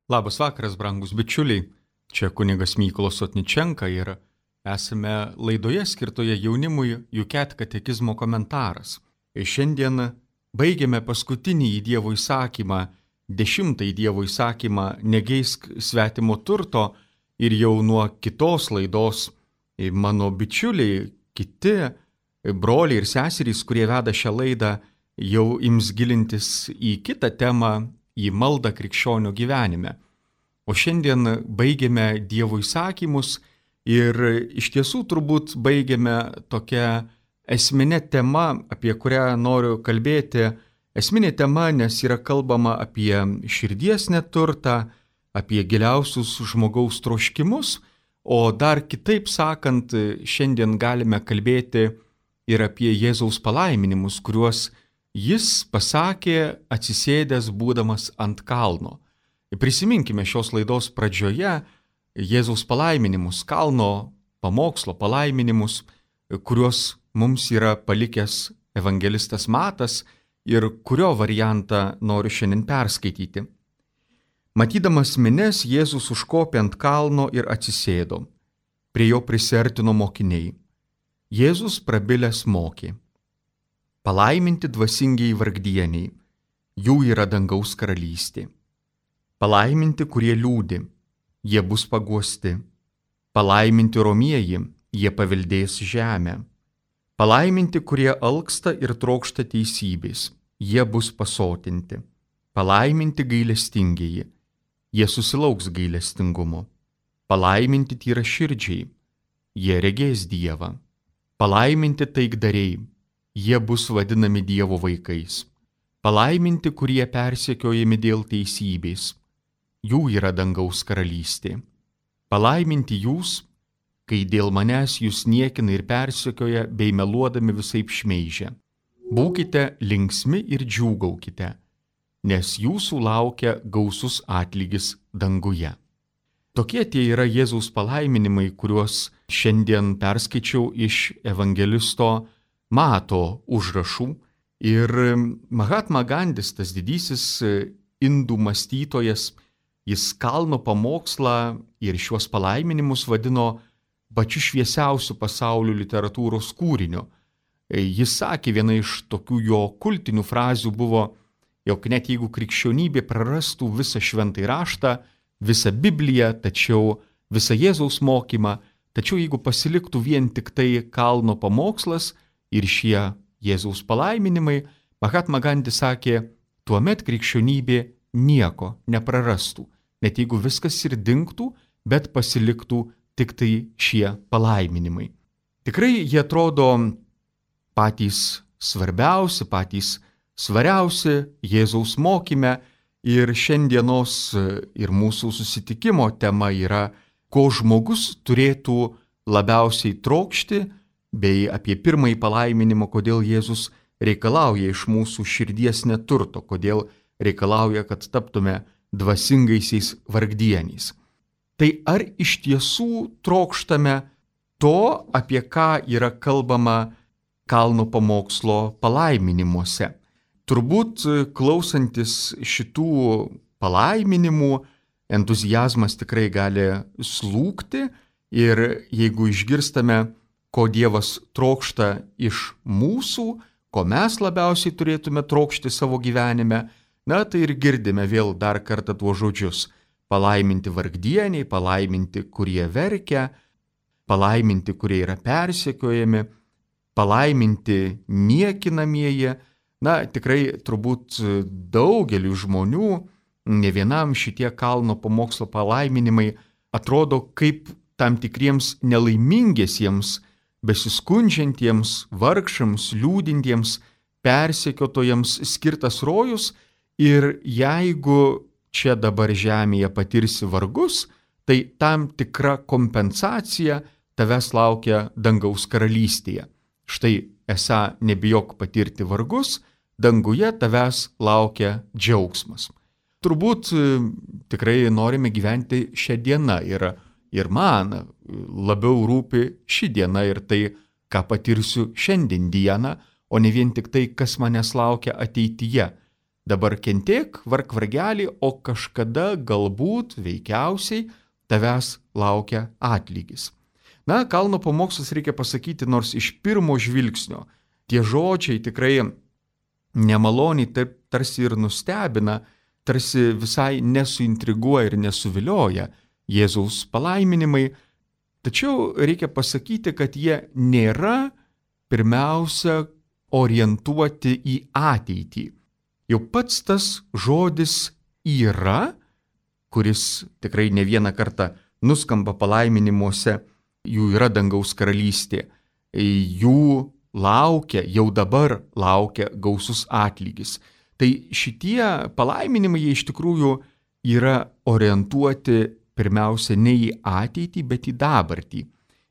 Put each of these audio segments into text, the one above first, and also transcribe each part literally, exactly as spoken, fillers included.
Labas vakaras, brangus bičiuliai. Čia kunigas Mykolas Sotničenka ir esame laidoje skirtoje jaunimui U C A T katekizmo komentaras. Ir šiandien baigiame paskutinį Dievo įsakymą, dešimtąjį Dievo įsakymą negeisk svetimo turto ir jau nuo kitos laidos mano bičiuliai, kiti broliai ir seserys, kurie veda šią laidą, jau ims gilintis į kitą temą, į maldą krikščionių gyvenime. O šiandien baigiame Dievo įsakymus ir iš tiesų turbūt baigiame tokią esminę temą, apie kurią noriu kalbėti. Esminė tema, nes yra kalbama apie širdies neturtą, apie giliausius žmogaus troškimus, o dar kitaip sakant, šiandien galime kalbėti ir apie Jėzaus palaiminimus, kuriuos Jis pasakė atsisėdęs būdamas ant kalno. Prisiminkime šios laidos pradžioje Jėzaus palaiminimus, kalno pamokslo palaiminimus, kuriuos mums yra palikęs evangelistas Matas ir kurio variantą noriu šiandien perskaityti. Matydamas minias, Jėzus užkopė ant kalno ir atsisėdo. Prie jo prisiartino mokiniai. Jėzus prabilęs mokė. Palaiminti dvasingiai vargdieniai, jų yra dangaus karalystė. Palaiminti, kurie liūdi, jie bus paguosti. Palaiminti romieji, jie paveldės žemę. Palaiminti, kurie alksta ir trokšta teisybės, jie bus pasotinti. Palaiminti gailestingieji, jie susilauks gailestingumo. Palaiminti tyraširdžiai, jie regės Dievą. Palaiminti taikdariai, jie bus vadinami Dievo vaikais. Palaiminti, kurie persekiojami dėl teisybės, jų yra dangaus karalystė. Palaiminti jūs, kai dėl manęs jūs niekina ir persekioja bei meluodami visaip šmeižia. Būkite linksmi ir džiūgaukite, nes jūsų laukia gausus atlygis danguje. Tokie tie yra Jėzaus palaiminimai, kuriuos šiandien perskaičiau iš evangelisto Mato užrašų. Ir Mahatma Gandis, tas didysis indų mąstytojas, jis kalno pamokslą ir šiuos palaiminimus vadino pačiu šviesiausiu pasaulio literatūros kūriniu. Jis sakė, viena iš tokių jo kultinių frazių buvo, jog net jeigu krikščionybė prarastų visą šventąjį raštą, visą Bibliją, tačiau visą Jėzaus mokymą, tačiau jeigu pasiliktų vien tik tai kalno pamokslas ir šie Jėzaus palaiminimai, Mahatma Gandis sakė, tuomet krikščionybė nieko neprarastų, net jeigu viskas ir dingtų, bet pasiliktų tik tai šie palaiminimai. Tikrai jie atrodo patys svarbiausi, patys svariausi Jėzaus mokyme ir šiandienos ir mūsų susitikimo tema yra, ko žmogus turėtų labiausiai trokšti, bei apie pirmąjį palaiminimą, kodėl Jėzus reikalauja iš mūsų širdies neturto, kodėl reikalauja, kad taptume dvasingaisiais vargdieniais. Tai ar iš tiesų trokštame to, apie ką yra kalbama kalno pamokslo palaiminimuose? Turbūt klausantis šitų palaiminimų, entuziazmas tikrai gali slūgti ir jeigu išgirstame, ko Dievas trokšta iš mūsų, ko mes labiausiai turėtume trokšti savo gyvenime, na tai ir girdime vėl dar kartą tuos žodžius. Palaiminti vargdieniai, palaiminti, kurie verkia, palaiminti, kurie yra persekiojami, palaiminti niekinamieji. Na tikrai turbūt daugeliu žmonių, ne vienam šitie kalno pamokslo palaiminimai atrodo kaip tam tikriems nelaimingiesiems, besiskundžiantiems, vargšams, liūdintiems, persekiotojams skirtas rojus ir jeigu čia dabar žemėje patirsi vargus, tai tam tikra kompensacija tavęs laukia dangaus karalystėje. Štai esą nebijok patirti vargus, danguje tavęs laukia džiaugsmas. Turbūt tikrai norime gyventi šią dieną ir Ir man labiau rūpi ši diena ir tai, ką patirsiu šiandien dieną, o ne vien tik tai, kas manęs laukia ateityje. Dabar kentėk, varg vargelį, o kažkada galbūt, veikiausiai, tavęs laukia atlygis. Na, kalno pamokslus reikia pasakyti, nors iš pirmo žvilgsnio tie žodžiai tikrai nemaloniai taip tarsi ir nustebina, tarsi visai nesuintriguoja ir nesuvilioja Jėzaus palaiminimai, tačiau reikia pasakyti, kad jie nėra pirmiausia orientuoti į ateitį. Jau pats tas žodis yra, kuris tikrai ne vieną kartą nuskamba palaiminimuose, jų yra dangaus karalystė, jų laukia, jau dabar laukia gausus atlygis. Tai šitie palaiminimai jie iš tikrųjų yra orientuoti pirmiausia ne į ateitį, bet į dabartį.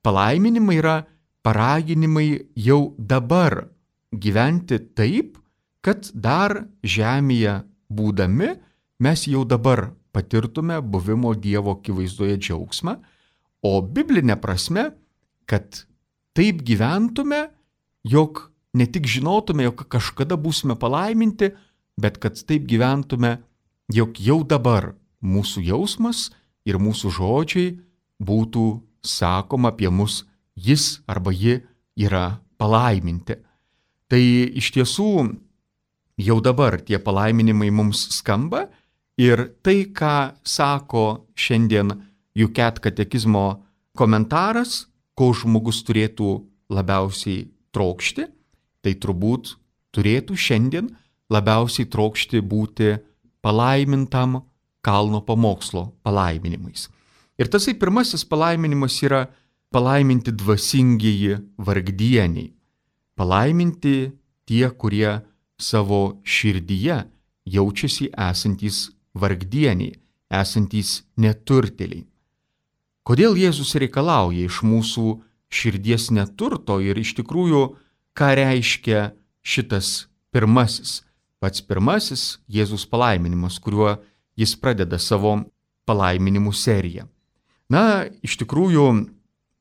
Palaiminimai yra paraginimai jau dabar gyventi taip, kad dar žemėje būdami mes jau dabar patirtume buvimo Dievo akivaizdoje džiaugsmą, o biblinė prasme, kad taip gyventume, jog ne tik žinotume, jog kažkada būsime palaiminti, bet kad taip gyventume, jog jau dabar mūsų jausmas ir mūsų žodžiai būtų sakoma apie mus, jis arba ji yra palaiminti. Tai iš tiesų jau dabar tie palaiminimai mums skamba ir tai, ką sako šiandien U C A T katekizmo komentaras, ko žmogus turėtų labiausiai trokšti, tai turbūt turėtų šiandien labiausiai trokšti būti palaimintam kalno pamokslo palaiminimais. Ir tasai pirmasis palaiminimas yra palaiminti dvasingieji vargdieniai. Palaiminti tie, kurie savo širdyje jaučiasi esantys vargdieniai, esantys neturtėliai. Kodėl Jėzus reikalauja iš mūsų širdies neturto ir iš tikrųjų, ką reiškia šitas pirmasis, pats pirmasis Jėzus palaiminimas, kuriuo jis pradeda savo palaiminimų seriją. Na, iš tikrųjų,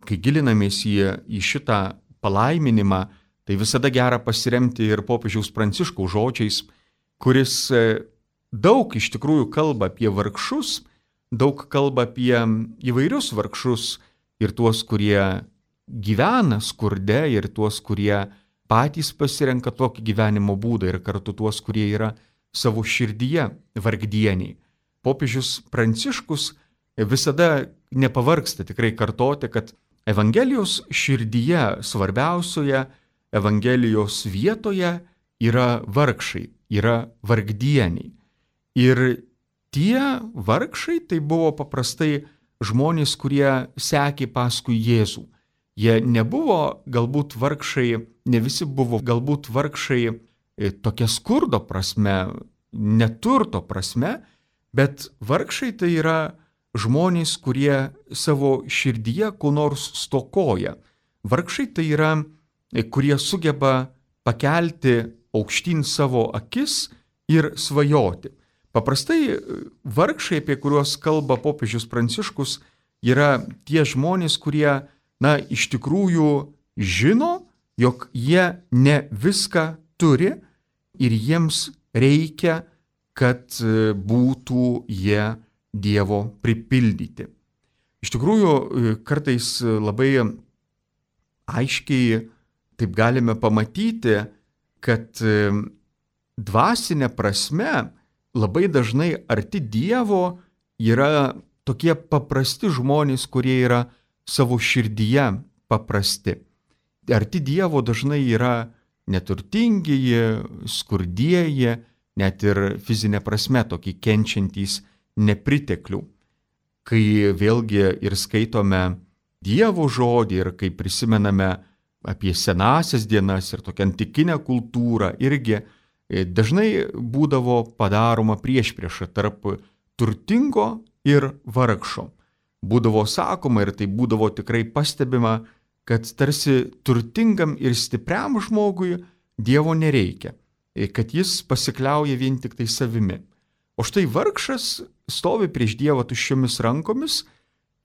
kai gilinamės į, į šitą palaiminimą, tai visada gera pasiremti ir popiežiaus Pranciškaus žodžiais, kuris daug iš tikrųjų kalba apie vargšus, daug kalba apie įvairius vargšus ir tuos, kurie gyvena skurde ir tuos, kurie patys pasirenka tokį gyvenimo būdą ir kartu tuos, kurie yra savo širdyje vargdieniai. Popiežius Pranciškus visada nepavargsta tikrai kartoti, kad Evangelijos širdyje svarbiausioje Evangelijos vietoje yra vargšai, yra vargdieniai. Ir tie vargšai tai buvo paprastai žmonės, kurie sekė paskui Jėzų. Jie nebuvo galbūt vargšai, ne visi buvo galbūt vargšai tokia skurdo prasme, neturto prasme, bet vargšai tai yra žmonės, kurie savo širdyje ko nors stokoja. Vargšai tai yra, kurie sugeba pakelti aukštyn savo akis ir svajoti. Paprastai vargšai, apie kuriuos kalba popiežius Pranciškus, yra tie žmonės, kurie, na, iš tikrųjų žino, jog jie ne viską turi ir jiems reikia, kad būtų jie Dievo pripildyti. Iš tikrųjų, kartais labai aiškiai taip galime pamatyti, kad dvasinė prasme labai dažnai arti Dievo yra tokie paprasti žmonės, kurie yra savo širdyje paprasti. Arti Dievo dažnai yra neturtingieji, skurdieji, net ir fizinė prasme tokie kenčiantys nepriteklių. Kai vėlgi ir skaitome Dievo žodį ir kai prisimename apie senasias dienas ir tokią antikinę kultūrą, irgi dažnai būdavo padaroma priešprieša tarp turtingo ir vargšo. Būdavo sakoma ir tai būdavo tikrai pastebima, kad tarsi turtingam ir stipriam žmogui Dievo nereikia, kad jis pasikliauja vien tik tai savimi. O štai vargšas stovi prieš Dievą tuščiomis rankomis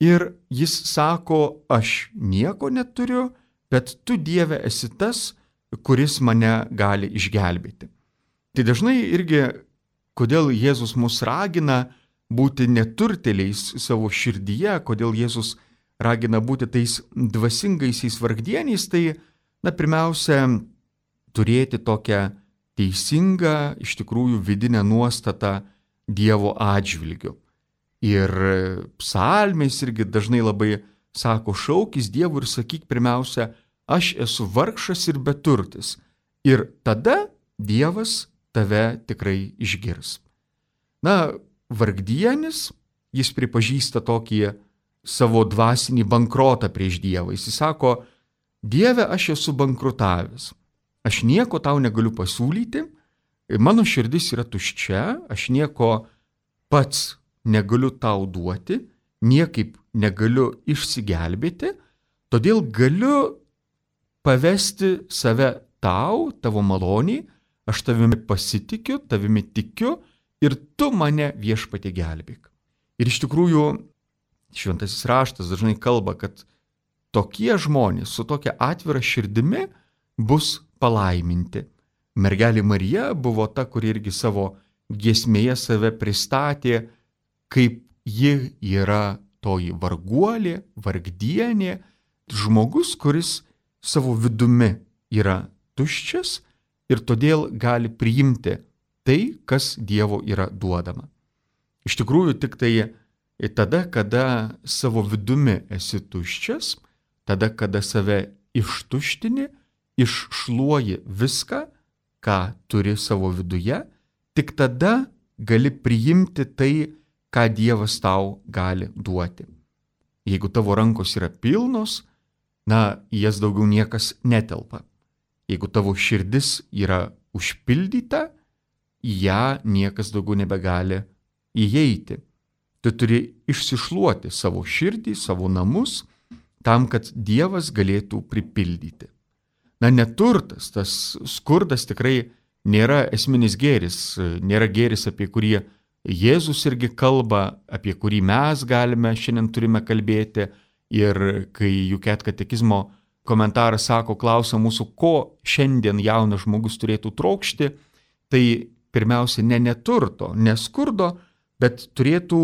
ir jis sako, aš nieko neturiu, bet tu, Dieve, esi tas, kuris mane gali išgelbėti. Tai dažnai irgi kodėl Jėzus mus ragina būti neturtėliais savo širdyje, kodėl Jėzus ragina būti tais dvasingaisiais vargdieniais, tai, na, pirmiausia, turėti tokią teisingą, iš tikrųjų, vidinę nuostatą Dievo atžvilgiu. Ir psalmės irgi dažnai labai sako, šaukis Dievui ir sakyk pirmiausia, aš esu vargšas ir beturtis. Ir tada Dievas tave tikrai išgirs. Na, vargdienis, jis pripažįsta tokį savo dvasinį bankrotą prieš Dievą. Jis sako, Dieve, aš esu bankrutavęs. Aš nieko tau negaliu pasiūlyti, mano širdis yra tuščia, aš nieko pats negaliu tau duoti, niekaip negaliu išsigelbėti, todėl galiu pavesti save tau, tavo maloniai, aš tavimi pasitikiu, tavimi tikiu ir tu mane Viešpatie gelbėk. Ir iš tikrųjų šventasis raštas dažnai kalba, kad tokie žmonės su tokia atvira širdimi bus palaiminti. Mergelė Marija buvo ta, kuri irgi savo giesmėje save pristatė, kaip ji yra toji varguolė, vargdienė, žmogus, kuris savo vidumi yra tuščias ir todėl gali priimti tai, kas Dievo yra duodama. Iš tikrųjų, tik tai tada, kada savo vidumi esi tuščias, tada, kada save ištuštini, iššluoji viską, ką turi savo viduje, tik tada gali priimti tai, ką Dievas tau gali duoti. Jeigu tavo rankos yra pilnos, na, į jas daugiau niekas netelpa. Jeigu tavo širdis yra užpildyta, į ją niekas daugiau nebegali įeiti. Tu turi išsišluoti savo širdį, savo namus, tam, kad Dievas galėtų pripildyti. Na, neturtas, tas skurdas tikrai nėra esminis gėris, nėra gėris, apie kurį Jėzus irgi kalba, apie kurį mes galime šiandien turime kalbėti. Ir kai Juket katekizmo komentaras sako, klausia mūsų, ko šiandien jaunas žmogus turėtų trokšti, tai pirmiausia ne neturto, ne skurdo, bet turėtų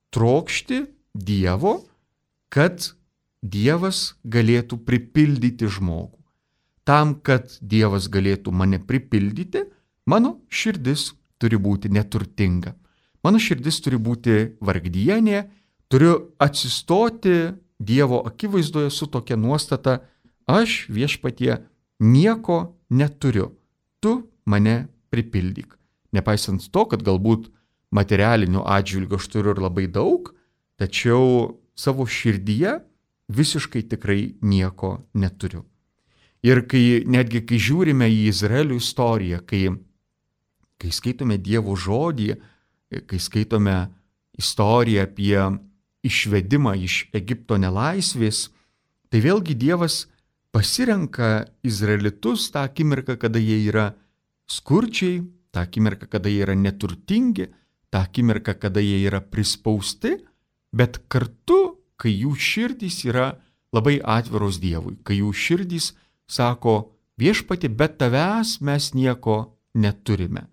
trokšti Dievo, kad Dievas galėtų pripildyti žmogų. Tam, kad Dievas galėtų mane pripildyti, mano širdis turi būti neturtinga. Mano širdis turi būti vargdienė, turiu atsistoti Dievo akivaizdoje su tokia nuostata, aš Viešpatie nieko neturiu, tu mane pripildyk. Nepaisant to, kad galbūt materialinių atžvilgių aš turiu ir labai daug, tačiau savo širdyje visiškai tikrai nieko neturiu. Ir kai, netgi kai žiūrime į Izraelio istoriją, kai, kai skaitome Dievo žodį, kai skaitome istoriją apie išvedimą iš Egipto nelaisvės, tai vėlgi Dievas pasirenka izraelitus tą akimirką, kada jie yra skurdžiai, tą akimirką, kada jie yra neturtingi, tą akimirką, kada jie yra prispausti, bet kartu, kai jų širdys yra labai atviros Dievui, kai jų širdys sako, Viešpatie, be tavęs mes nieko neturime.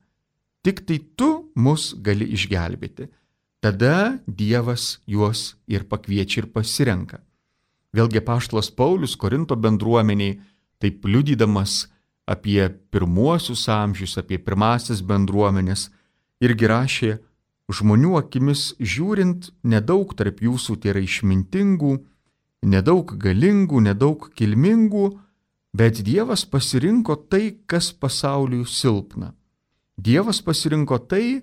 Tik tai tu mus gali išgelbėti. Tada Dievas juos ir pakviečia ir pasirenka. Vėlgi apaštalas Paulius Korinto bendruomeniai, taip liudydamas apie pirmuosius amžius, apie pirmąsias bendruomenės, irgi rašė, žmonių akimis žiūrint, nedaug tarp jūsų tai yra išmintingų, nedaug galingų, nedaug kilmingų, bet Dievas pasirinko tai, kas pasauliui silpna. Dievas pasirinko tai,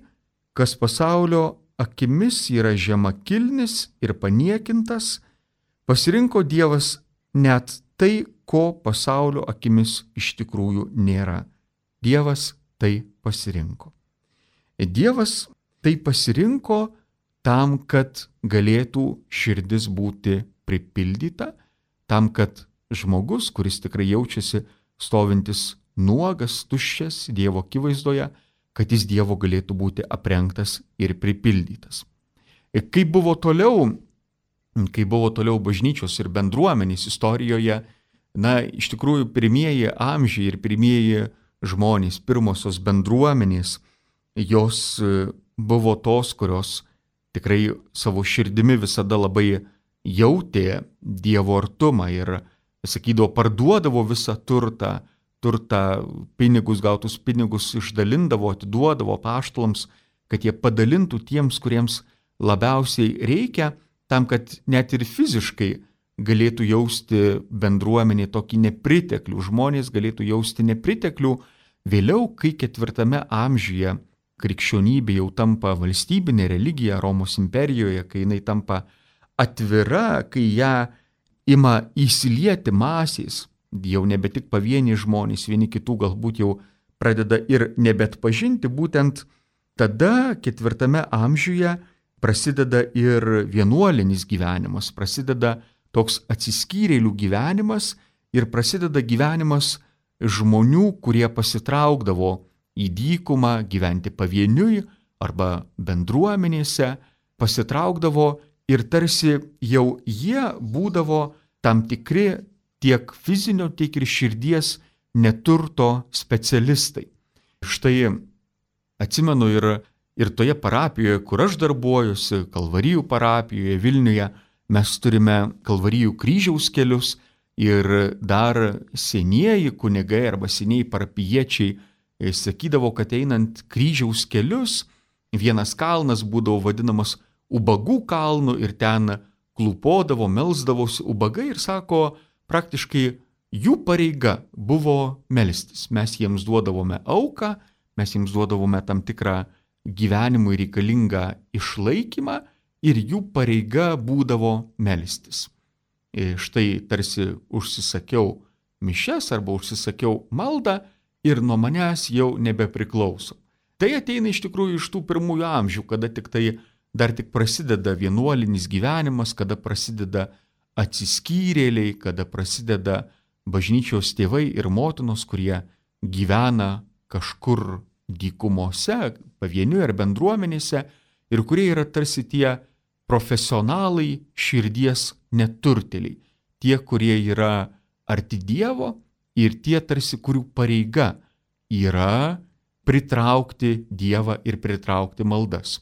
kas pasaulio akimis yra žemakilnis ir paniekintas, pasirinko Dievas net tai, ko pasaulio akimis iš tikrųjų nėra. Dievas tai pasirinko. Dievas tai pasirinko tam, kad galėtų širdis būti pripildyta, tam, kad žmogus, kuris tikrai jaučiasi stovintis nuogas, tuščias Dievo akivaizdoje, kad jis Dievo galėtų būti aprengtas ir pripildytas. Ir kaip buvo toliau, kai buvo toliau bažnyčios ir bendruomenės istorijoje, na, iš tikrųjų pirmieji amžiai ir pirmieji žmonės, pirmosios bendruomenės, jos buvo tos, kurios tikrai savo širdimi visada labai jautė Dievo artumą ir, sakydavo, parduodavo visą turtą, turtą, pinigus, gautus pinigus išdalindavo, atiduodavo apaštalams, kad jie padalintų tiems, kuriems labiausiai reikia, tam, kad net ir fiziškai galėtų jausti bendruomenė tokį nepriteklių, žmonės galėtų jausti nepriteklių. Vėliau, kai ketvirtame amžiuje krikščionybė jau tampa valstybinė religija Romos imperijoje, kai jinai tampa atvira, kai ją ima įsilieti masės, jau nebe tik pavieniai žmonės, vieni kitų galbūt jau pradeda ir nebetpažinti, būtent tada ketvirtame amžiuje prasideda ir vienuolinis gyvenimas, prasideda toks atsiskyrėlių gyvenimas ir prasideda gyvenimas žmonių, kurie pasitraukdavo į dykumą gyventi pavieniui arba bendruomenėse, pasitraukdavo ir tarsi jau jie būdavo tam tikri tiek fizinio, tiek ir širdies neturto specialistai. Štai atsimenu ir, ir toje parapijoje, kur aš darbuojuosi, Kalvarijų parapijoje Vilniuje, mes turime Kalvarijų kryžiaus kelius ir dar senieji kunigai arba senieji parapijiečiai sakydavo, kad einant kryžiaus kelius, vienas kalnas būdavo vadinamas ubagų kalnu ir ten klūpodavo, melsdavosi ubagai ir sako, praktiškai jų pareiga buvo melstis. Mes jiems duodavome auką, mes jiems duodavome tam tikrą gyvenimui reikalingą išlaikymą ir jų pareiga būdavo melstis. Ir štai tarsi užsisakiau mišias arba užsisakiau maldą ir nuo manęs jau nebepriklauso. Tai ateina iš tikrųjų iš tų pirmųjų amžių, kada tik tai dar tik prasideda vienuolinis gyvenimas, kada prasideda atsiskyrėliai, kada prasideda bažnyčios tėvai ir motinos, kurie gyvena kažkur dykumose, pavieniui ar bendruomenėse ir kurie yra tarsi tie profesionalai širdies neturtėliai, tie, kurie yra arti Dievo ir tie tarsi, kurių pareiga yra pritraukti Dievą ir pritraukti maldas.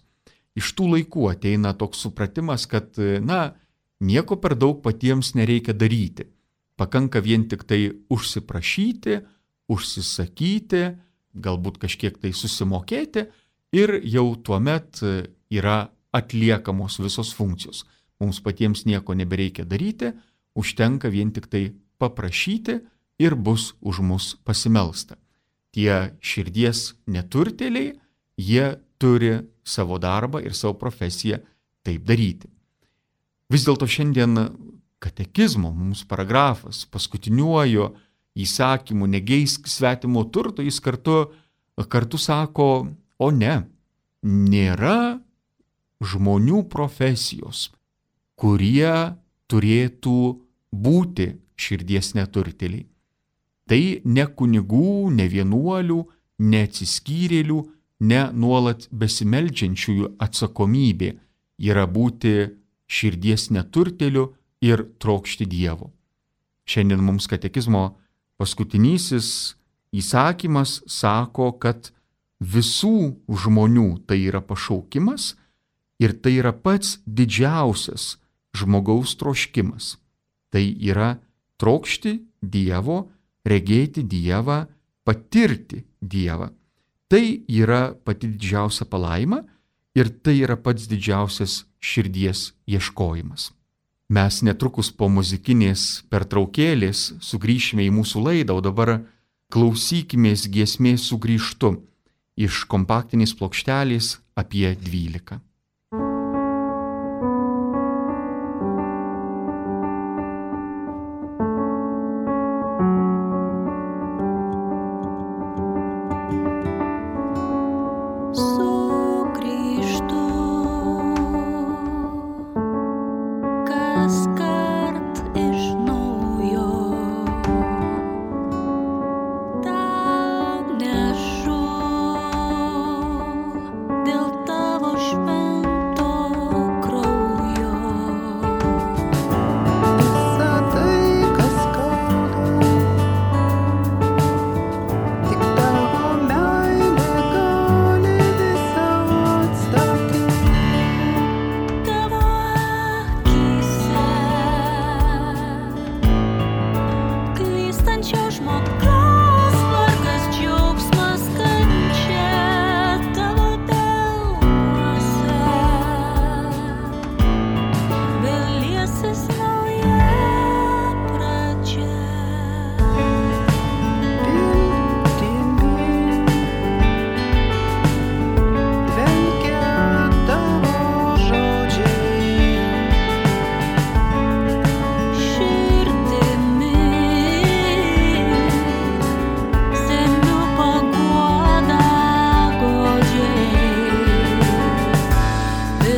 Iš tų laikų ateina toks supratimas, kad, na, nieko per daug patiems nereikia daryti. Pakanka vien tik tai užsiprašyti, užsisakyti, galbūt kažkiek tai susimokėti ir jau tuomet yra atliekamos visos funkcijos. Mums patiems nieko nebereikia daryti, užtenka vien tik tai paprašyti ir bus už mus pasimelsta. Tie širdies neturtėliai, jie turi savo darbą ir savo profesiją taip daryti. Vis dėlto šiandien katekizmo mums paragrafas paskutiniuoju įsakymu negeisk svetimo turto, jis kartu, kartu sako, o ne, nėra žmonių profesijos, kurie turėtų būti širdies neturtėliai. Tai ne kunigų, ne vienuolių, ne atsiskyrėlių, ne nuolat besimeldžiančiųjų atsakomybė yra būti širdies neturtėliu ir trokšti Dievo. Šiandien mums katekizmo paskutinysis įsakymas sako, kad visų žmonių tai yra pašaukimas ir tai yra pats didžiausias žmogaus troškimas. Tai yra trokšti Dievo, regėti Dievą, patirti Dievą. Tai yra pati didžiausia palaima ir tai yra pats didžiausias širdies ieškojimas. Mes netrukus po muzikinės pertraukėlės sugrįšime į mūsų laidą, o dabar klausykimės giesmės Sugrįžtu iš kompaktinės plokštelės apie dvylika. Šventės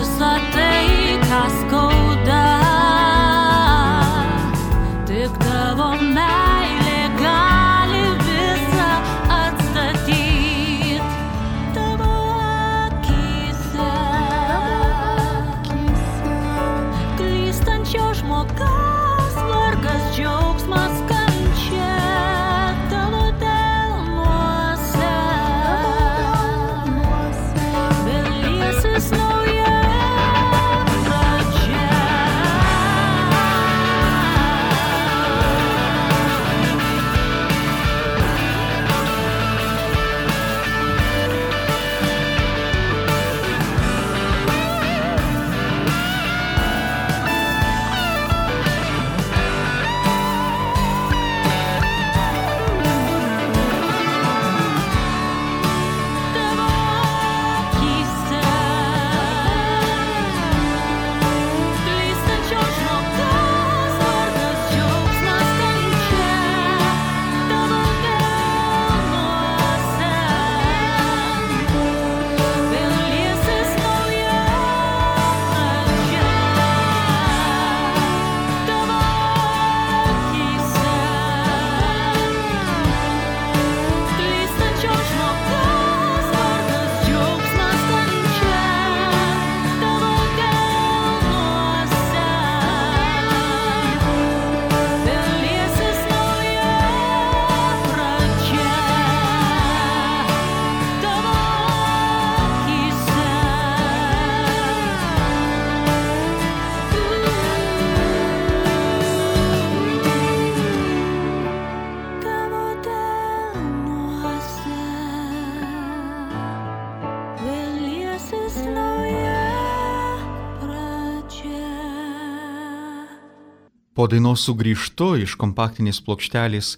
visa tai, kas skauda, tik tavo meilė gali visą atstatyti. Tavo akyse, klystančio žmogaus vargas, džiaugsmas, kančia. Tavo delnuose vėl liesis nauja pradžia. Tavo akyse, klystančio žmogaus vargas, džiaugsmas, kančia. Tavo delnuose vėl liesis nauja pradžia. Tavo akyse, klystančio žmogaus vargas, džiaugsmas, kančia. Tavo delnuose vėl liesis nauja pradžia. Tavo akyse, tavo delnuose vėl liesis nauja pradžia. Po dainos sugrįžtu iš kompaktinės plokštelės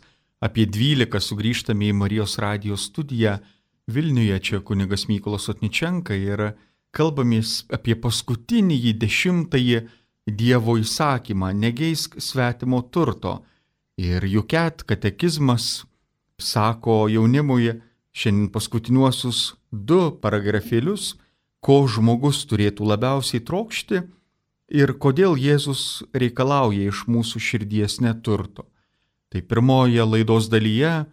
apie dvylika sugrįžtame į Marijos radijo studiją Vilniuje, čia kunigas Mykolas Sotničenka ir kalbamės apie paskutinįjį dešimtąjį Dievo įsakymą – negeisk svetimo turto. Ir Juket katekizmas sako jaunimui šiandien paskutiniuosius du paragrafėlius, ko žmogus turėtų labiausiai trokšti ir kodėl Jėzus reikalauja iš mūsų širdies neturto. Tai pirmoje laidos dalyje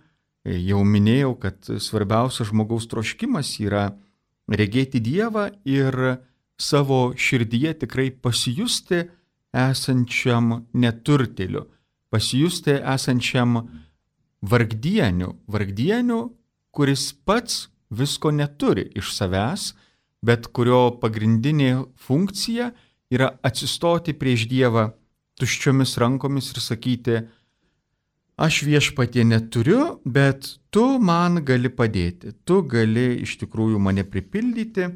jau minėjau, kad svarbiausias žmogaus troškimas yra regėti Dievą ir savo širdyje tikrai pasijusti esančiam neturtėliu, pasijusti esančiam vargdieniu, vargdieniu, kuris pats visko neturi iš savęs, bet kurio pagrindinė funkcija yra atsistoti prieš Dievą tuščiomis rankomis ir sakyti: aš viešpatie neturiu, bet tu man gali padėti, tu gali iš tikrųjų mane pripildyti,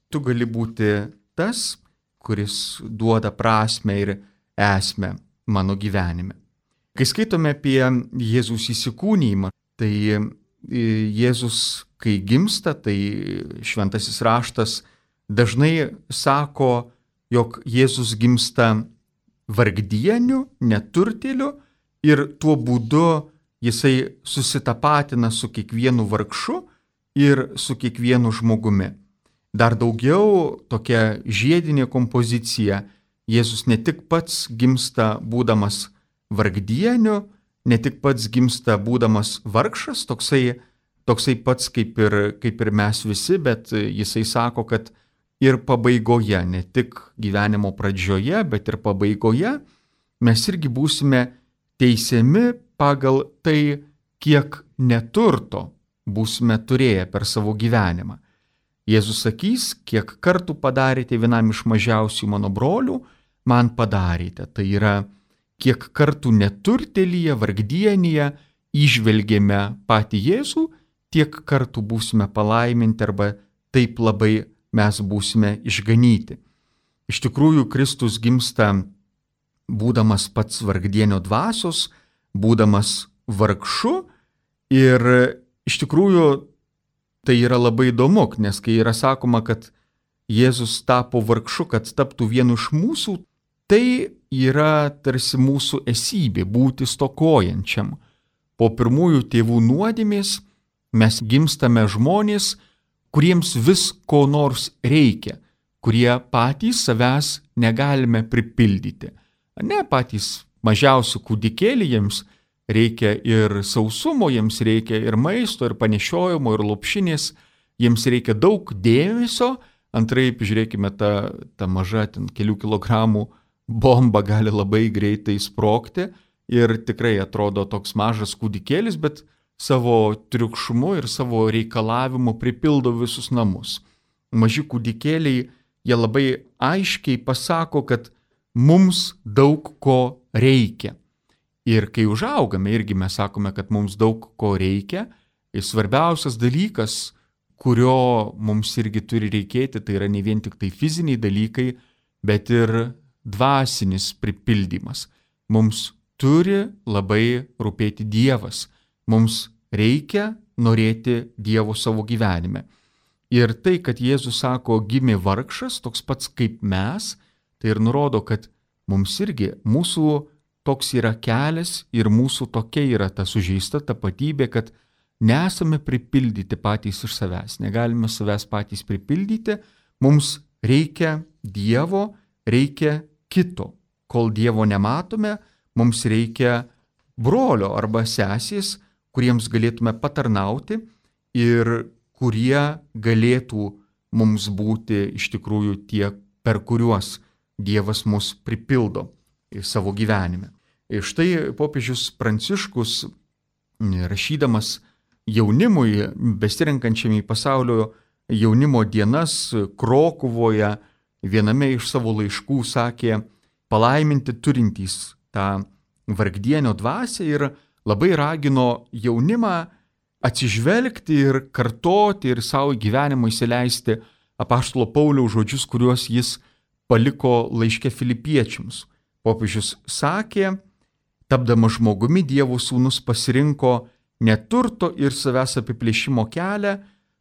tu gali būti tas, kuris duoda prasmę ir esmę mano gyvenime. Kai skaitome apie Jėzus įsikūnijimą, tai Jėzus, kai gimsta, tai šventasis raštas dažnai sako, jog Jėzus gimsta vargdieniu, neturtėliu ir tuo būdu jisai susitapatina su kiekvienu vargšu ir su kiekvienu žmogumi. Dar daugiau tokia žiedinė kompozicija. Jėzus ne tik pats gimsta būdamas vargdieniu, ne tik pats gimsta būdamas vargšas, toksai, toksai pats kaip ir, kaip ir mes visi, bet jisai sako, kad ir pabaigoje, ne tik gyvenimo pradžioje, bet ir pabaigoje mes irgi būsime teisiami pagal tai, kiek neturto būsime turėję per savo gyvenimą. Jėzus sakys, kiek kartų padarėte vienam iš mažiausių mano brolių, man padarėte. Tai yra, kiek kartų neturtėlyje, vargdienyje įžvelgėme patį Jėzų, tiek kartų būsime palaiminti arba taip labai mes būsime išganyti. Iš tikrųjų, Kristus gimsta būdamas pats vargdienio dvasios, būdamas vargšu ir iš tikrųjų tai yra labai įdomu, nes kai yra sakoma, kad Jėzus tapo vargšu, kad taptų vienu iš mūsų, tai yra tarsi mūsų esybė būti stokojančiam. Po pirmųjų tėvų nuodėmės mes gimstame žmonės, kuriems vis ko nors reikia, kurie patys savęs negalime pripildyti. Ne patys mažiausių kūdikėlį, jiems reikia ir sausumo, jiems reikia ir maisto, ir panešiojimo, ir lopšinės, jiems reikia daug dėmesio. Antraip, žiūrėkime, ta, ta maža ten kelių kilogramų bomba gali labai greitai sprogti ir tikrai atrodo toks mažas kūdikėlis, bet savo triukšmu ir savo reikalavimu pripildo visus namus. Maži kūdikėliai, jie labai aiškiai pasako, kad mums daug ko reikia. Ir kai užaugame, irgi mes sakome, kad mums daug ko reikia. Ir svarbiausias dalykas, kurio mums irgi turi reikėti, tai yra ne vien tik tai fiziniai dalykai, bet ir dvasinis pripildymas. Mums turi labai rūpėti Dievas. Mums reikia norėti Dievo savo gyvenime. Ir tai, kad Jėzus sako, gimė vargšas, toks pats kaip mes, tai ir nurodo, kad mums irgi mūsų toks yra kelias ir mūsų tokia yra ta sužeista tapatybė, kad nesame pripildyti patys iš savęs, negalime savęs patys pripildyti, mums reikia Dievo, reikia kito. Kol Dievo nematome, mums reikia brolio arba sesės, kuriems galėtume patarnauti ir kurie galėtų mums būti iš tikrųjų tie, per kuriuos Dievas mus pripildo savo gyvenime. Ir štai popiežius Pranciškus, rašydamas jaunimui, besirenkančiam į pasaulio jaunimo dienas Krokuvoje, viename iš savo laiškų sakė, palaiminti turintys tą vargdienio dvasią ir labai ragino jaunimą atsižvelgti ir kartoti ir savo gyvenimą įsileisti apaštalo Pauliaus žodžius, kuriuos jis paliko laiške Filipiečiams. Popiežius sakė, tapdamas žmogumi, Dievo sūnus pasirinko neturto ir savęs apiplėšimo kelią,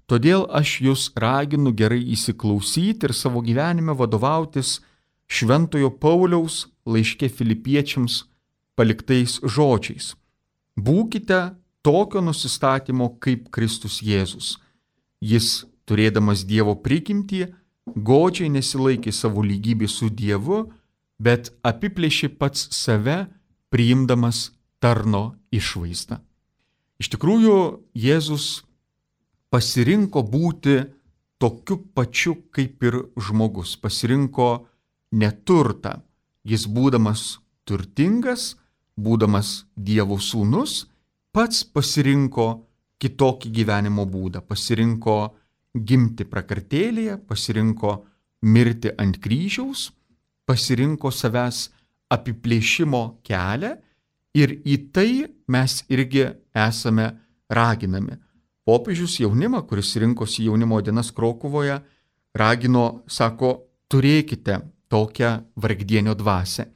todėl aš jūs raginu gerai įsiklausyti ir savo gyvenime vadovautis šventojo Pauliaus laiške Filipiečiams paliktais žodžiais. Būkite tokio nusistatymo kaip Kristus Jėzus. Jis, turėdamas Dievo prigimtį, godžiai nesilaikė savo lygybės su Dievu, bet apiplėšė pats save, priimdamas tarno išvaizdą. Iš tikrųjų, Jėzus pasirinko būti tokiu pačiu kaip ir žmogus, pasirinko neturtą. Jis būdamas turtingas, būdamas Dievo sūnus, pats pasirinko kitokį gyvenimo būdą, pasirinko gimti prakartėlėje, pasirinko mirti ant kryžiaus, pasirinko savęs apiplėšimo kelią ir į tai mes irgi esame raginami. Popiežius jaunimą, kuris rinkosi jaunimo dienas Krokuvoje, ragino, sako, turėkite tokią vargdienio dvasią.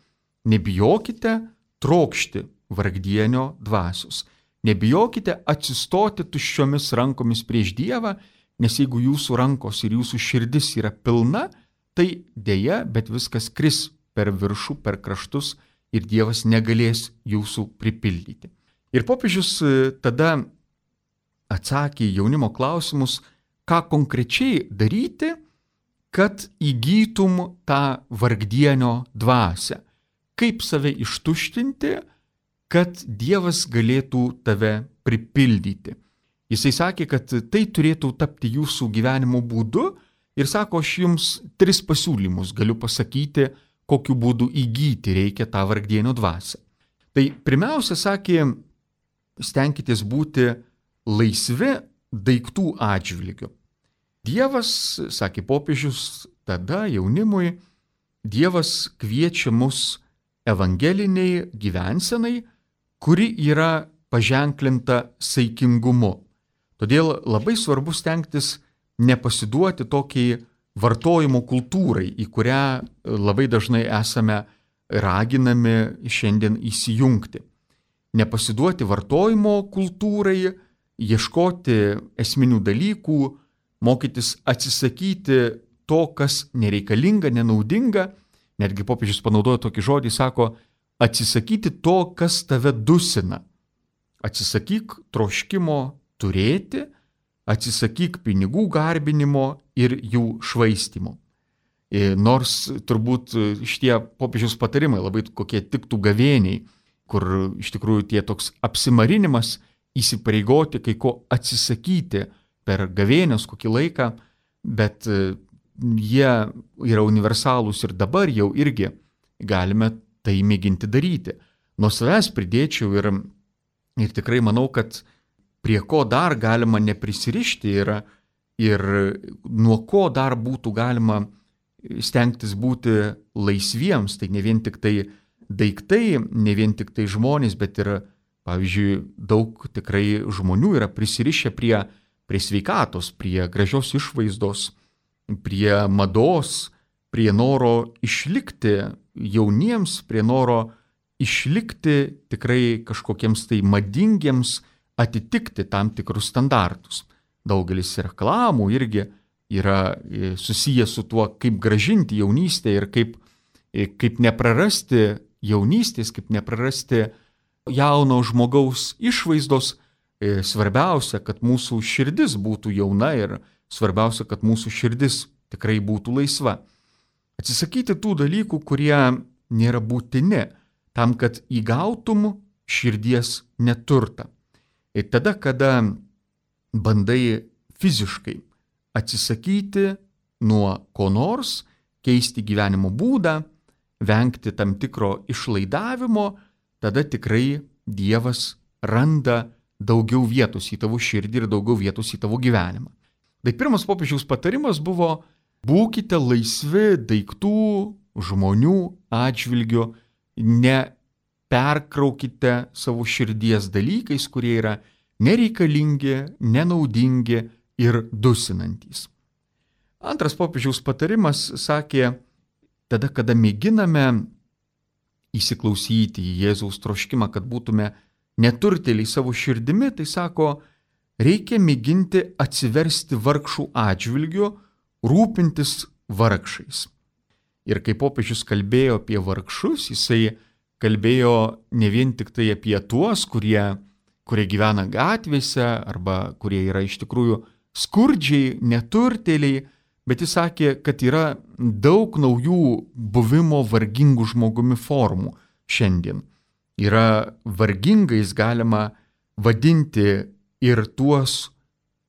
Nebijokite trokšti vargdienio dvasios. Nebijokite atsistoti tuščiomis rankomis prieš Dievą, nes jeigu jūsų rankos ir jūsų širdis yra pilna, tai dėja, bet viskas kris per viršų, per kraštus ir Dievas negalės jūsų pripildyti. Ir popiežius tada atsakė į jaunimo klausimus, ką konkrečiai daryti, kad įgytum tą vargdienio dvasią. Kaip save ištuštinti, kad Dievas galėtų tave pripildyti. Jisai sakė, kad tai turėtų tapti jūsų gyvenimo būdu ir sako, aš jums tris pasiūlymus galiu pasakyti, kokiu būdu įgyti reikia tą vargdienio dvasią. Tai pirmiausia, sakė, stenkitės būti laisvi daiktų atžvilgiu. Dievas, sakė popiežius, tada jaunimui, Dievas kviečia mus evangeliniai gyvensenai, kuri yra paženklinta saikingumu. Todėl labai svarbu stengtis nepasiduoti tokiai vartojimo kultūrai, į kurią labai dažnai esame raginami šiandien įsijungti. Nepasiduoti vartojimo kultūrai, ieškoti esminių dalykų, mokytis atsisakyti to, kas nereikalinga, nenaudinga. Netgi popiežius panaudojo tokį žodį, sako, atsisakyti to, kas tave dusina. Atsisakyk troškimo turėti, atsisakyk pinigų garbinimo ir jų švaistimo. Nors turbūt šitie popiežiaus patarimai labai kokie tiktų gavėniai, kur iš tikrųjų tie toks apsimarinimas, įsipareigoti, kai ko atsisakyti per gavėnios kokį laiką, bet jie yra universalūs ir dabar jau irgi galime tai mėginti daryti. Nuo savęs pridėčiau ir, ir tikrai manau, kad prie ko dar galima neprisirišti yra ir nuo ko dar būtų galima stengtis būti laisviems, tai ne vien tik tai daiktai, ne vien tik tai žmonės, bet ir, pavyzdžiui, daug tikrai žmonių yra prisirišę prie, prie sveikatos, prie gražios išvaizdos, prie mados, prie noro išlikti jauniems, prie noro išlikti tikrai kažkokiems tai madingiems, atitikti tam tikrus standartus. Daugelis reklamų irgi yra susijęs su tuo, kaip gražinti jaunystę ir kaip, kaip neprarasti jaunystės, kaip neprarasti jauno žmogaus išvaizdos. Svarbiausia, kad mūsų širdis būtų jauna ir svarbiausia, kad mūsų širdis tikrai būtų laisva. Atsisakyti tų dalykų, kurie nėra būtini tam, kad įgautum širdies neturtą. Ir tada, kada bandai fiziškai atsisakyti nuo ko nors, keisti gyvenimo būdą, vengti tam tikro išlaidavimo, tada tikrai Dievas randa daugiau vietos į tavo širdį ir daugiau vietos į tavo gyvenimą. Tai pirmas popiežiaus patarimas buvo: būkite laisvi daiktų, žmonių atžvilgiu, neperkraukite savo širdies dalykais, kurie yra nereikalingi, nenaudingi ir dusinantys. Antras popiežiaus patarimas sakė, tada, kada mėginame įsiklausyti į Jėzaus troškimą, kad būtume neturtėliai savo širdimi, tai sako, reikia mėginti atsiversti vargšų atžvilgiu, rūpintis vargšais. Ir kai popiežius kalbėjo apie vargšus, jisai kalbėjo ne vien tik tai apie tuos, kurie, kurie gyvena gatvėse arba kurie yra iš tikrųjų skurdžiai, neturtėliai, bet jis sakė, kad yra daug naujų buvimo vargingų žmogumi formų šiandien. Yra vargingais galima vadinti ir tuos,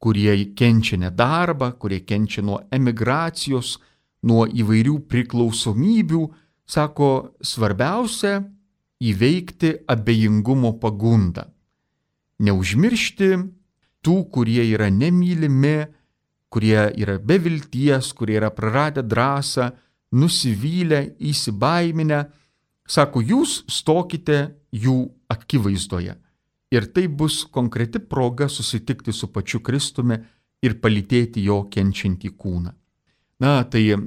kurie kenčia nedarbą, kurie kenčia nuo emigracijos, nuo įvairių priklausomybių. Sako, svarbiausia įveikti abejingumo pagundą. Neužmiršti tų, kurie yra nemylimi, kurie yra be vilties, kurie yra praradę drąsą, nusivylę, įsibaiminę. Sako, jūs stokite jų akivaizdoje. Ir tai bus konkreti proga susitikti su pačiu Kristumi ir palytėti jo kenčiantį kūną. Na, tai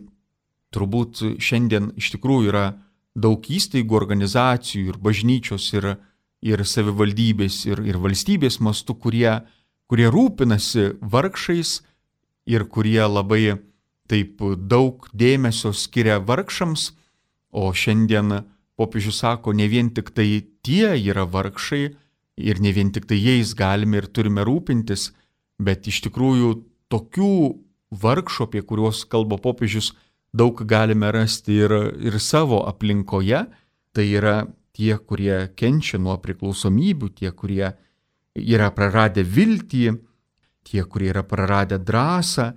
turbūt šiandien iš tikrųjų yra daug įstaigų, organizacijų ir bažnyčios ir, ir savivaldybės ir, ir valstybės mastu, kurie, kurie rūpinasi vargšais ir kurie labai taip daug dėmesio skiria vargšams, o šiandien popiežius sako, ne vien tik tai tie yra vargšai ir ne vien tik tai jais galime ir turime rūpintis, bet iš tikrųjų tokių vargšų, apie kuriuos kalba popiežius, daug galime rasti ir, ir savo aplinkoje. Tai yra tie, kurie kenčia nuo priklausomybių, tie, kurie yra praradę viltį, tie, kurie yra praradę drąsą,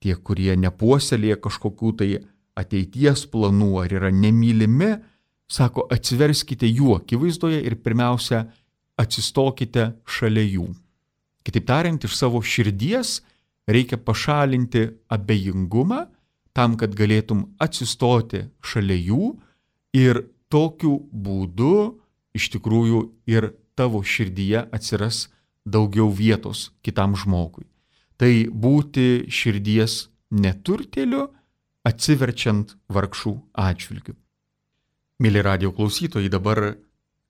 tie, kurie nepuoselėja kažkokių tai ateities planų ar yra nemylimi. Sako, atsiverskite jų akivaizdoje ir pirmiausia, atsistokite šalia jų. Kitaip tariant, iš savo širdies reikia pašalinti abejingumą tam, kad galėtum atsistoti šalia jų ir tokiu būdu iš tikrųjų ir tavo širdyje atsiras daugiau vietos kitam žmogui. Tai būti širdies neturtėliu, atsiverčiant vargšų atžvilgių. Mėly radijo klausytojai, dabar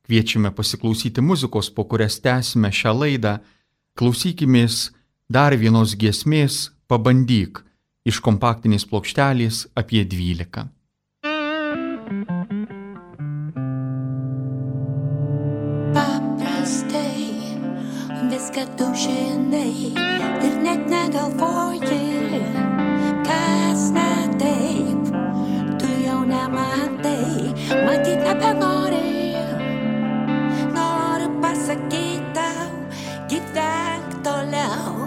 kviečiame pasiklausyti muzikos, po kurias tęsime šią laidą. Klausykimės dar vienos giesmės Pabandyk iš kompaktinės plokštelės apie dvylika. Paprastai viską tu žinai ir net negalvoji, kas ne taip, nematai, matyt nebenori. Noriu pasakyti tau, gyvenk toliau.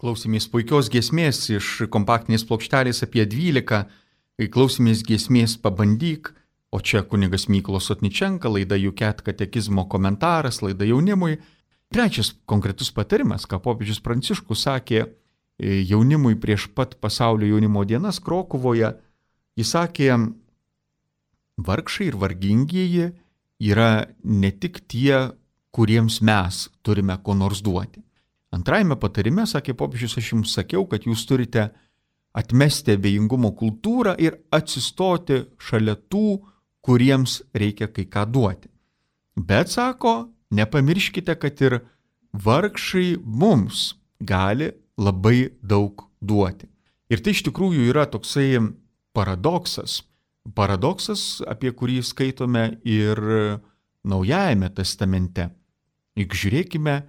Klausėmės puikios giesmės iš kompaktinės plokštelės apie dvylika, klausėmės giesmės Pabandyk, o čia kunigas Mykolas Sotničenka, laida Juket katekizmo komentaras, laida jaunimui. Trečias konkretus patarimas, ką popiežius Pranciškus sakė jaunimui prieš pat pasaulio jaunimo dienas Krokuvoje, jis sakė, vargšai ir vargingieji yra ne tik tie, kuriems mes turime ko nors duoti. Antrajame patarime, sakė popiežius, aš jums sakiau, kad jūs turite atmesti abejingumo kultūrą ir atsistoti šalia tų, kuriems reikia kai ką duoti. Bet, sako, nepamirškite, kad ir vargšai mums gali labai daug duoti. Ir tai iš tikrųjų yra toksai paradoksas. Paradoksas, apie kurį skaitome ir Naujajame testamente. Juk žiūrėkime,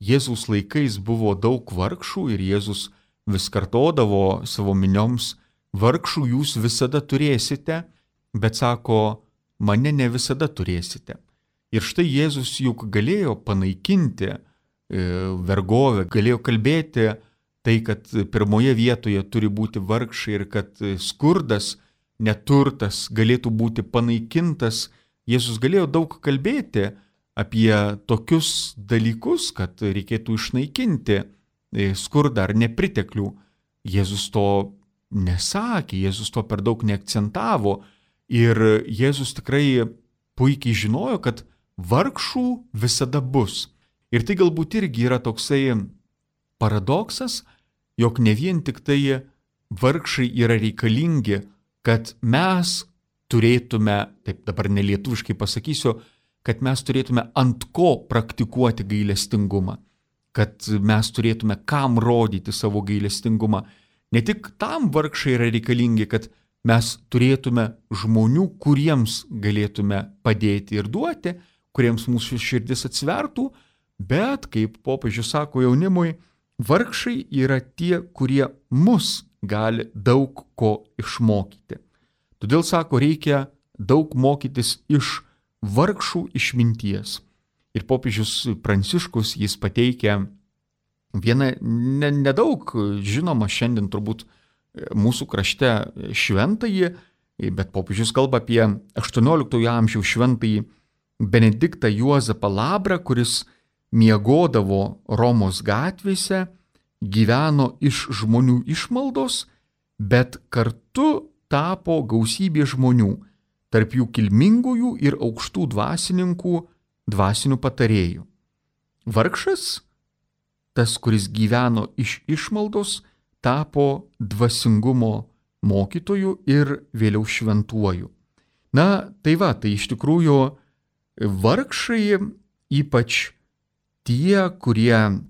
Jėzaus laikais buvo daug vargšų ir Jėzus vis kartodavo savo minioms, vargšų jūs visada turėsite, bet sako, mane ne visada turėsite. Ir štai Jėzus juk galėjo panaikinti e, vergovę, galėjo kalbėti tai, kad pirmoje vietoje turi būti vargšai ir kad skurdas, neturtas galėtų būti panaikintas. Jėzus galėjo daug kalbėti apie tokius dalykus, kad reikėtų išnaikinti skurdą ar nepriteklių. Jėzus to nesakė, Jėzus to per daug neakcentavo ir Jėzus tikrai puikiai žinojo, kad vargšų visada bus. Ir tai galbūt irgi yra toksai paradoksas, jog ne vien tik tai vargšai yra reikalingi, kad mes turėtume, taip dabar nelietuviškai pasakysiu, kad mes turėtume ant ko praktikuoti gailestingumą, kad mes turėtume kam rodyti savo gailestingumą. Ne tik tam vargšai yra reikalingi, kad mes turėtume žmonių, kuriems galėtume padėti ir duoti, kuriems mūsų širdis atsivertų, bet, kaip popiežius sako jaunimui, vargšai yra tie, kurie mus gali daug ko išmokyti. Todėl, sako, reikia daug mokytis iš vargšų išminties. Ir popiežius Pranciškus jis pateikia vieną nedaug ne žinomą šiandien turbūt mūsų krašte šventąjį, bet popiežius kalba apie aštuonioliktojo amžiaus šventąjį Benediktą Juozapą Labrą, kuris miegodavo Romos gatvėse, gyveno iš žmonių išmaldos, bet kartu tapo gausybė žmonių, tarp jų kilmingųjų ir aukštų dvasininkų, dvasinių patarėjų. Vargšas, tas, kuris gyveno iš išmaldos, tapo dvasingumo mokytoju ir vėliau šventuoju. Na, tai va, tai iš tikrųjų vargšai, ypač tie, kurie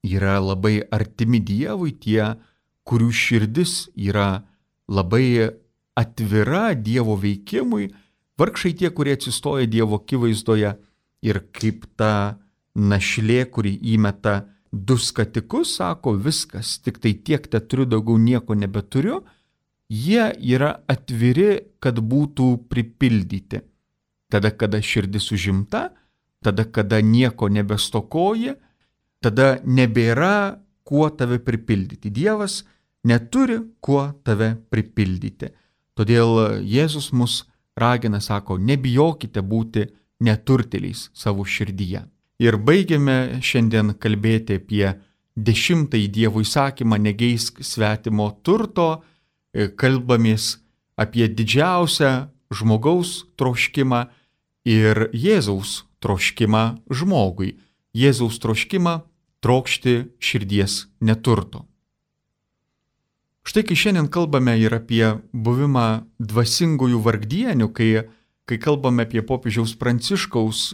yra labai artimi Dievui, tie, kurių širdis yra labai atvira Dievo veikimui, vargšai tie, kurie atsistoja Dievo akivaizdoje ir kaip ta našlė, kuri įmeta du skatikus, sako, viskas, tik tai tiek te turiu, daugiau nieko nebeturiu, jie yra atviri, kad būtų pripildyti. Tada, kada širdis užimta, tada, kada nieko nebestokoji, tada nebėra kuo tave pripildyti. Dievas neturi kuo tave pripildyti. Todėl Jėzus mus ragina, sako, nebijokite būti neturtėliais savo širdyje. Ir baigiame šiandien kalbėti apie dešimtąjį Dievo įsakymą negeisk svetimo turto, kalbamės apie didžiausią žmogaus troškimą ir Jėzaus troškimą žmogui. Jėzaus troškimą trokšti širdies neturto. Štai kai šiandien kalbame ir apie buvimą dvasingųjų vargdienių, kai, kai kalbame apie popiežiaus Pranciškaus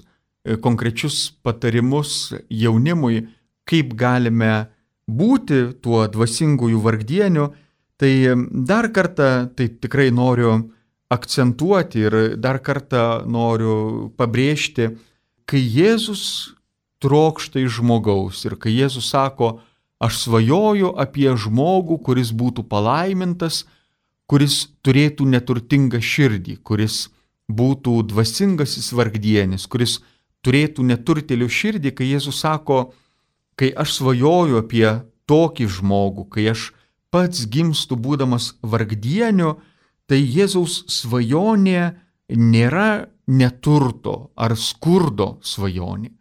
konkrečius patarimus jaunimui, kaip galime būti tuo dvasingųjų vargdieniu, tai dar kartą tai tikrai noriu akcentuoti ir dar kartą noriu pabrėžti, kai Jėzus trokšta iš žmogaus ir kai Jėzus sako, aš svajoju apie žmogų, kuris būtų palaimintas, kuris turėtų neturtingą širdį, kuris būtų dvasingasis vargdienis, kuris turėtų neturtėlių širdį, kai Jėzus sako, kai aš svajoju apie tokį žmogų, kai aš pats gimstu būdamas vargdieniu, tai Jėzaus svajonė nėra neturto ar skurdo svajonė.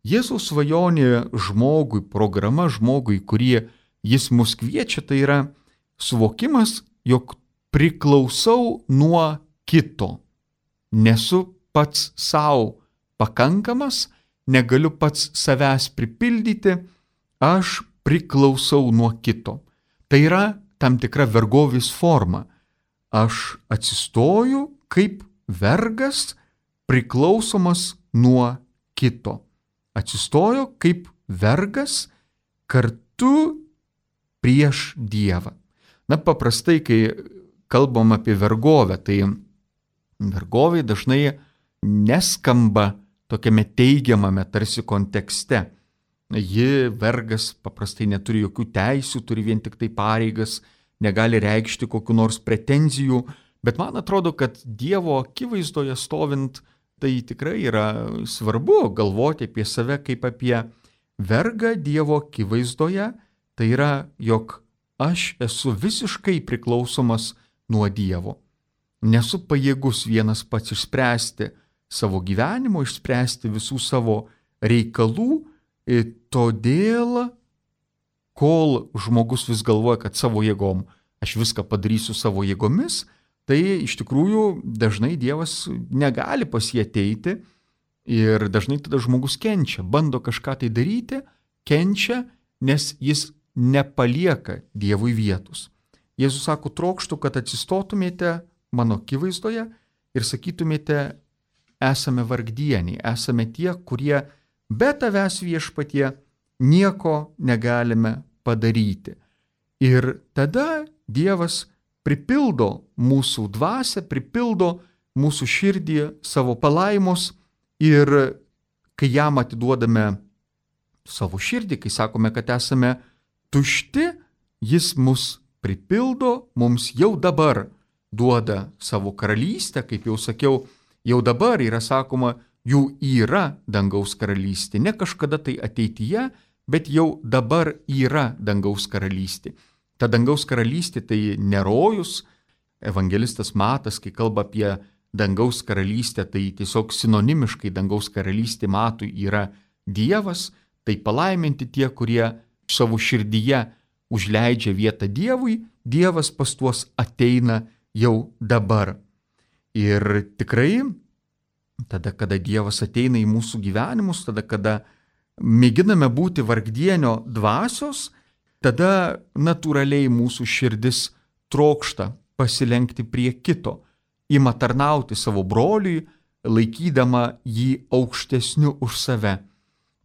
Jėzaus svajonė žmogui, programa žmogui, kurie jis mus kviečia, tai yra suvokimas, jog priklausau nuo kito. Nesu pats savo pakankamas, negaliu pats savęs pripildyti, aš priklausau nuo kito. Tai yra tam tikra vergovės forma. Aš atsistoju kaip vergas priklausomas nuo kito. Atsistoju kaip vergas kartu prieš Dievą. Na, paprastai, kai kalbam apie vergovę, tai vergovė dažnai neskamba tokiame teigiamame tarsi kontekste. Ji, vergas, paprastai neturi jokių teisių, turi vien tik tai pareigas, negali reikšti kokių nors pretenzijų, bet man atrodo, kad Dievo akivaizdoje stovint, tai tikrai yra svarbu galvoti apie save kaip apie vergą Dievo akivaizdoje, tai yra, jog aš esu visiškai priklausomas nuo Dievo. Nesu pajėgus vienas pats išspręsti savo gyvenimo, išspręsti visų savo reikalų, todėl, kol žmogus vis galvoja, kad savo jėgom aš viską padarysiu savo jėgomis, tai iš tikrųjų dažnai Dievas negali pas jį ateiti ir dažnai tada žmogus kenčia, bando kažką tai daryti, kenčia, nes jis nepalieka Dievui vietos. Jėzus sako, trokštu, kad atsistotumėte mano akivaizdoje ir sakytumėte, esame vargdieniai, esame tie, kurie be tavęs viešpatie nieko negalime padaryti. Ir tada Dievas pripildo mūsų dvasią, pripildo mūsų širdį savo palaimos ir kai jam atiduodame savo širdį, kai sakome, kad esame tušti, jis mus pripildo, mums jau dabar duoda savo karalystę, kaip jau sakiau, jau dabar yra sakoma, jų yra dangaus karalystė, ne kažkada tai ateityje, bet jau dabar yra dangaus karalystė. Ta dangaus karalystė tai nerojus, evangelistas Matas, kai kalba apie dangaus karalystę, tai tiesiog sinonimiškai dangaus karalystė Matui yra Dievas, tai palaiminti tie, kurie savo širdyje užleidžia vietą Dievui, Dievas pas tuos ateina jau dabar. Ir tikrai, tada, kada Dievas ateina į mūsų gyvenimus, tada, kada mėginame būti vargdienio dvasios, tada natūraliai mūsų širdis trokšta pasilenkti prie kito, ima tarnauti savo broliui, laikydama jį aukštesniu už save.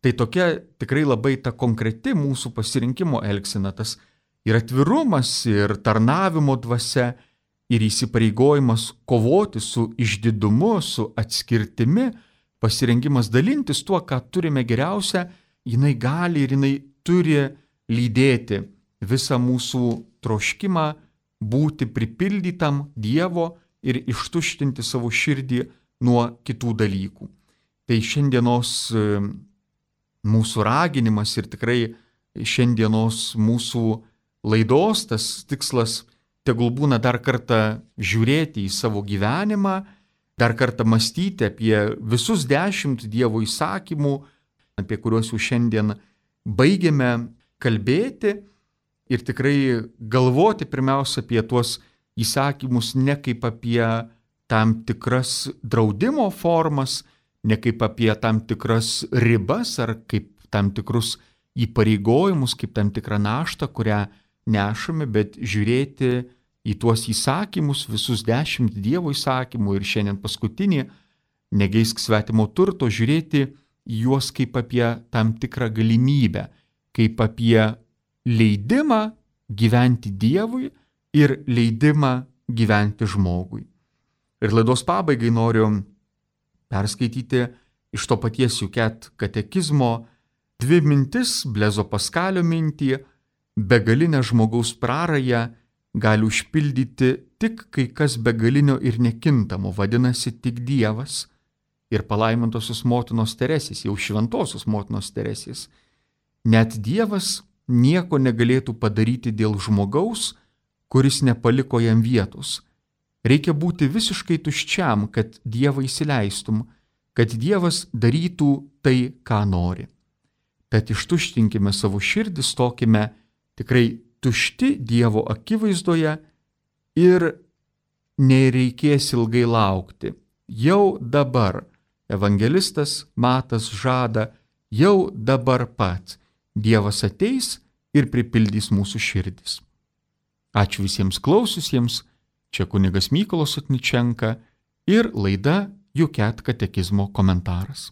Tai tokia tikrai labai ta konkreti mūsų pasirinkimo elgsena, tas ir atvirumas, ir tarnavimo dvasia, ir įsipareigojimas kovoti su išdidumu, su atskirtimi, pasirengimas dalintis tuo, ką turime geriausia, jinai gali ir jinai turi lydėti visą mūsų troškimą būti pripildytam Dievo ir ištuštinti savo širdį nuo kitų dalykų. Tai šiandienos mūsų raginimas ir tikrai šiandienos mūsų laidos tas tikslas tegul būna dar kartą žiūrėti į savo gyvenimą, dar kartą mąstyti apie visus dešimt Dievo įsakymų, apie kuriuos jau šiandien baigėme kalbėti ir tikrai galvoti pirmiausia apie tuos įsakymus ne kaip apie tam tikras draudimo formas, ne kaip apie tam tikras ribas ar kaip tam tikrus įpareigojimus, kaip tam tikrą naštą, kurią nešame, bet žiūrėti į tuos įsakymus, visus dešimt Dievo įsakymų ir šiandien paskutinį, negeisk svetimo turto, žiūrėti į juos kaip apie tam tikrą galimybę, kaip apie leidimą gyventi Dievui ir leidimą gyventi žmogui. Ir laidos pabaigai noriu perskaityti iš to paties Juket katekizmo dvi mintis, Blezo Paskalio mintį, begalinę žmogaus prarają gali užpildyti tik kai kas begalinio ir nekintamo, vadinasi tik Dievas ir palaimintosios motinos Teresės, jau šventosios motinos Teresės. Net Dievas nieko negalėtų padaryti dėl žmogaus, kuris nepaliko jam vietos. Reikia būti visiškai tuščiam, kad Dievą įsileistum, kad Dievas darytų tai, ką nori. Tad ištuštinkime savo širdį, stokime tikrai tušti Dievo akivaizdoje ir nereikės ilgai laukti. Jau dabar evangelistas Matas žada, jau dabar pat Dievas ateis ir pripildys mūsų širdis. Ačiū visiems klausiusiems, čia kunigas Mykolas Sotničenka ir laida Juket katekizmo komentaras.